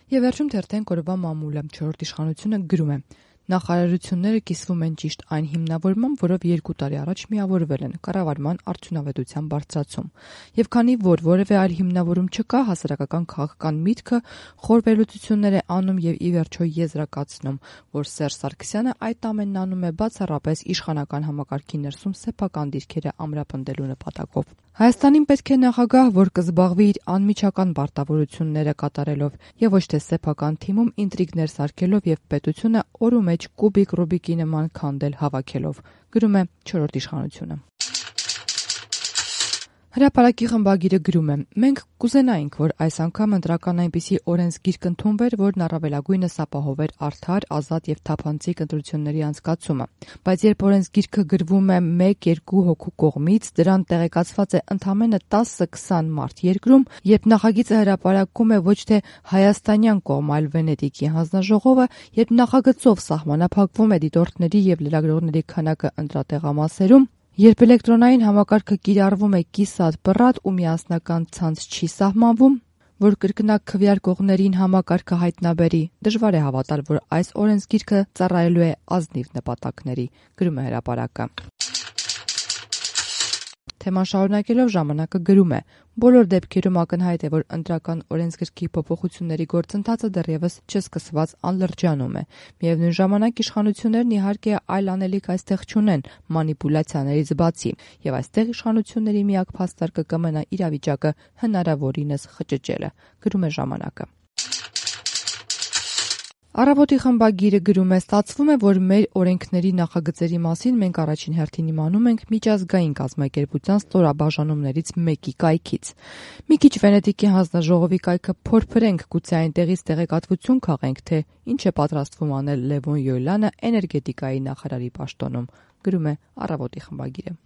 Եվ վերջում թերթենք օրվա մամուլը, 4-րդ իշխանությունը գրում է. նախարարությունները կիսվում են ճիշտ այն հիմնավորմամբ, որով 2 տարի առաջ միավորվել են կառավարման արդյունավետության բարձրացում։ Եվ քանի որ որևէ այլ հիմնավորում չկա, հասարակական քաղաքական միտքը խոր վերլուծություններ է անում եւ ի վերջո եզրակացնում, որ Սերժ Սարգսյանը այդ ամենն անում է բացառապես իշխանական համակարգի ներսում սեփական դիրքերը ամրապնդելու նպատակով։ Հայաստանին պետք է նախագահ, որ կզբաղվի իր անմիջական պարտավորությունները կատարելով եւ ոչ թե սեփական թիմում ինտրիգներ սարքելով եւ պետությունը օրու մեջ կուբիկ Ռուբիկի նման քանդել հավաքելով, գրում է 4-րդ իշխանությունը։ Հրապարակի խմբագիրը գրում է. մենք կուզենայինք, որ այս անգամ ընտրական այնպիսի օրենսգիրք ընդունվեր, որն առավելագույնս ապահովեր արդար, ազատ եւ թափանցիկ ընտրությունների անցկացումը, բայց երբ օրենսգիրքը գրվում է 1-2 հոգու կողմից, դրան տեղեկացված է ընդամենը 10-20 մարդ երկրում, երբ նախագիծը հրապարակում է ոչ թե հայաստանյան կողմ, այլ Վենետիկի հանձնաժողովը, երբ նախագծով սահմանափակվում է դիտորդների եւ լրագրողների քանակը ընտրատեղամասերում, երբ էլեկտրոնային համակարգը կիրառվում է կիսատ-պռատ ու միասնական ցանց չի սահմանվում, որ կրկնակ քվեարկողներին համակարգը հայտնաբերի, դժվար է հավատալ, որ այս օրենսգիրքը ծառայելու է ազնիվ նպատակների, գրում է հրապարակը։ Թեման շարունակելով ժամանակը գրում է. բոլոր դեպքերում ակնհայտ է, որ ընտրական օրենսգրքի փոփոխությունների գործընթացը դեռևս չսկսված անլրջանում է։ Միևնույն ժամանակ իշխանություններն իհարկե այլ անելիք այստեղ չունեն մանիպուլյացիաներից բացի, եւ այստեղ իշխանությունների միակ փաստարկը կմնա իրավիճակը հնարավորինս խճճելը, գրում է ժամանակը։ Առավոտի խմբագիրը գրում է. ստացվում է, որ մեր օրենքների նախագծերի մասին մենք առաջին հերթին իմանում ենք միջազգային կազմակերպության ստորաբաժանումներից մեկի կայքից։ Մի քիչ Վենետիկի հանձնաժողովի կայքը փորփրենք, գուցե այնտեղից տեղեկատվություն քաղենք, թե ինչ է պատրաստվում անել Լևոն Յոյլանը էներգետիկայի նախարարի պաշտոնում, գրում է Առավոտի խմբագիրը։